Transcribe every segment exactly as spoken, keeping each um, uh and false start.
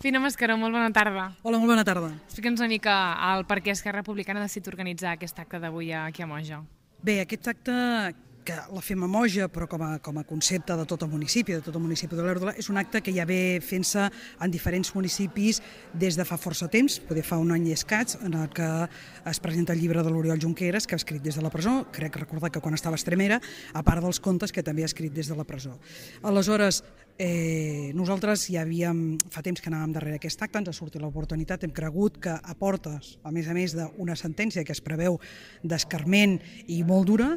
Fina Mascaró, molt bona tarda. Hola, molt bona tarda. Explica'ns una mica el per què Esquerra Republicana ha decidit organitzar aquest acte d'avui aquí a Moja. Bé, aquest acte, que la fem a Moja, però com a, com a concepte de tot el municipi, de tot el municipi d'Olèrdola, és un acte que ja ve fent-se en diferents municipis des de fa força temps, poder fa un any i escaig, en el que es presenta el llibre de l'Oriol Junqueras, que ha escrit des de la presó, crec recordar que quan estava a Extremera, a part dels contes que també ha escrit des de la presó. Aleshores, Eh, nosaltres ja havíem, fa temps que anàvem darrere aquest acte, ens ha sortit l'oportunitat, hem cregut que a portes, a més a més d'una sentència que es preveu d'escarment i molt dura,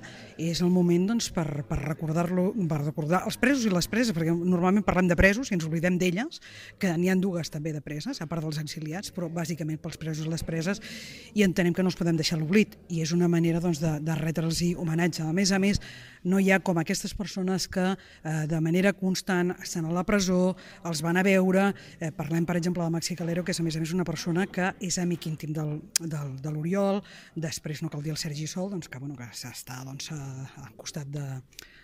és el moment doncs, per, per recordar-lo, per recordar els presos i les preses, perquè normalment parlem de presos i ens oblidem d'elles, que n'hi ha dues també de preses, a part dels exiliats, però bàsicament pels presos i les preses, i entenem que no els podem deixar l'oblit, i és una manera doncs, de, de retre'ls-hi homenatge. A més a més, no hi ha com aquestes persones que eh, de manera constant estan a la presó, els van a veure, eh, parlem per exemple de Maxi Calero, que és a més a més una persona que és amic íntim del, del, de l'Oriol, després no cal dir el Sergi Sol, doncs, que, bueno, que està doncs, al costat de,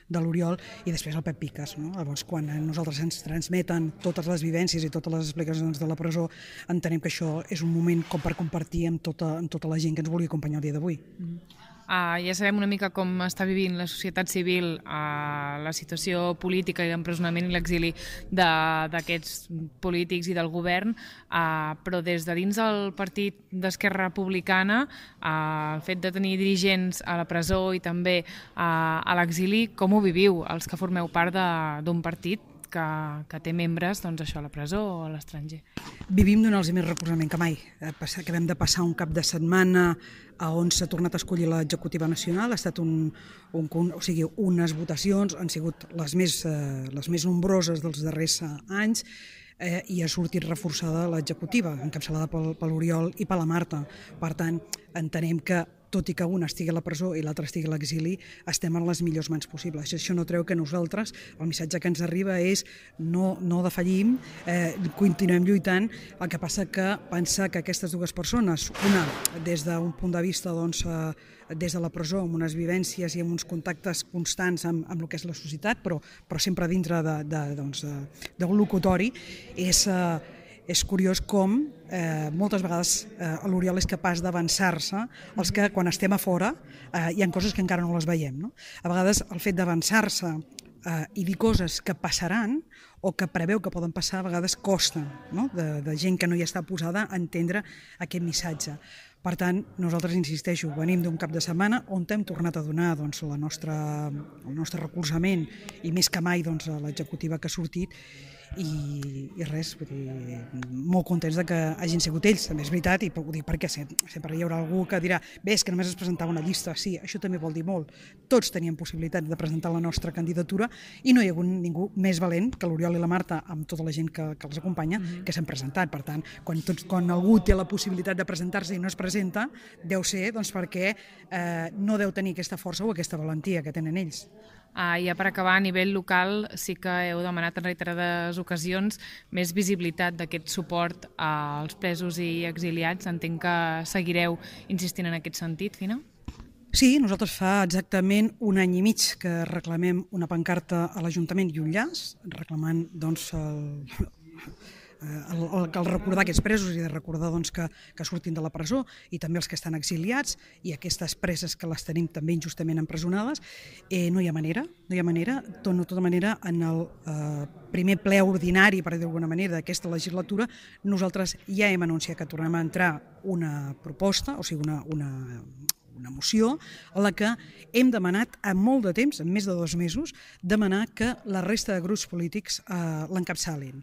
de l'Oriol, i després el Pep Piques. No? Llavors, quan nosaltres ens transmeten totes les vivències i totes les explicacions de la presó, entenem que això és un moment com per compartir amb tota, amb tota la gent que ens vulgui acompanyar el dia d'avui. Mm. Uh, ja sabem una mica com està vivint la societat civil, uh, la situació política i l'empresonament i l'exili d'aquests polítics i del govern, uh, però des de dins del partit d'Esquerra Republicana, uh, el fet de tenir dirigents a la presó i també uh, a l'exili, com ho viviu, els que formeu part d'un partit que, que té membres doncs, això, a la presó o a l'estranger? Vivim donant-los més recolzament que mai. Acabem de passar un cap de setmana on s'ha tornat a escollir l'executiva nacional, ha estat un, un, o sigui, unes votacions, han sigut les més, eh, les més nombroses dels darrers anys, eh, i ha sortit reforçada l'executiva, encapçalada pel, per l'Oriol i per la Marta. Per tant, entenem que tot i que una estigui a la presó i l'altra estigui a l'exili, estem en les millors mans possibles. Això no treu que nosaltres, el missatge que ens arriba és no, no defallim, eh, continuem lluitant, el que passa que pensar que aquestes dues persones, una des d'un punt de vista doncs, eh, des de la presó, amb unes vivències i amb uns contactes constants amb, amb el que és la societat, però, però sempre dintre d'un de, doncs, de, de locutori, és... Eh, És curiós com eh, moltes vegades eh, l'Oriol és capaç d'avançar-se, els que quan estem a fora eh, hi ha coses que encara no les veiem. No? A vegades el fet d'avançar-se eh, i dir coses que passaran o que preveu que poden passar a vegades costa, no? de, de gent que no hi està posada a entendre aquest missatge. Per tant, nosaltres, insisteixo, venim d'un cap de setmana on hem tornat a donar doncs, la nostra, el nostre recolzament i més que mai doncs, a l'executiva que ha sortit, i, i res, vull dir, molt contents de que hagin sigut ells, també és veritat, i ho dic perquè sempre hi haurà algú que dirà bé, és que només es presentava una llista, sí, això també vol dir molt, tots teníem possibilitat de presentar la nostra candidatura i no hi ha hagut ningú més valent que l'Oriol i la Marta amb tota la gent que, que els acompanya mm-hmm. que s'han presentat, per tant, quan, tots, quan algú té la possibilitat de presentar-se i no es presenta, deu ser doncs, perquè eh, no deu tenir aquesta força o aquesta valentia que tenen ells. Ah, ja per acabar, a nivell local sí que heu demanat en reiterades ocasions més visibilitat d'aquest suport als presos i exiliats. Entenc que seguireu insistint en aquest sentit, Fina? Sí, nosaltres fa exactament un any i mig que reclamem una pancarta a l'Ajuntament i un llaç, reclamant doncs, el, el, el, el recordar aquests presos i de recordar doncs, que, que surtin de la presó i també els que estan exiliats i aquestes preses que les tenim també injustament empresonades. Eh, no hi ha manera, no hi ha manera, de tota manera en el eh, primer ple ordinari, per dir d'alguna manera, d'aquesta legislatura, nosaltres ja hem anunciat que tornem a entrar una proposta, o sigui una, una, una moció a la que hem demanat a molt de temps, en més de dos mesos, demanar que la resta de grups polítics eh, l'encapçalin.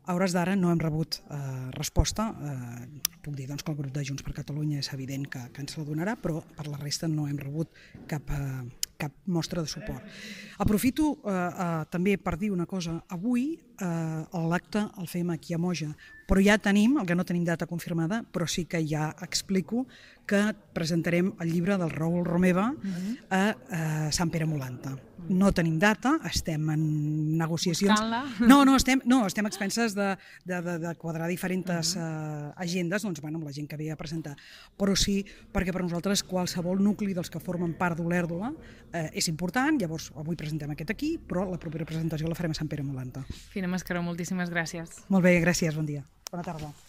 A hores d'ara no hem rebut eh, resposta, eh, puc dir doncs, que el grup de Junts per Catalunya és evident que, que ens la donarà, però per la resta no hem rebut cap, eh, cap mostra de suport. Aprofito eh, eh, també per dir una cosa, avui eh, l'acte el fem aquí a Moja, però ja tenim, el que no tenim data confirmada, però sí que ja explico que presentarem el llibre del Raül Romeva a, a Sant Pere Molanta. No tenim data, estem en negociacions... No, no, estem, no, estem a expenses de, de, de, de quadrar diferents uh, agendes doncs, bueno, amb la gent que ve a presentar. Però sí, perquè per nosaltres qualsevol nucli dels que formen part d'Olèrdola eh, és important, llavors avui presentem aquest aquí, però la propera presentació la farem a Sant Pere Molanta. Fina Mascaró, moltíssimes gràcies. Molt bé, gràcies, bon dia. Bona tarda.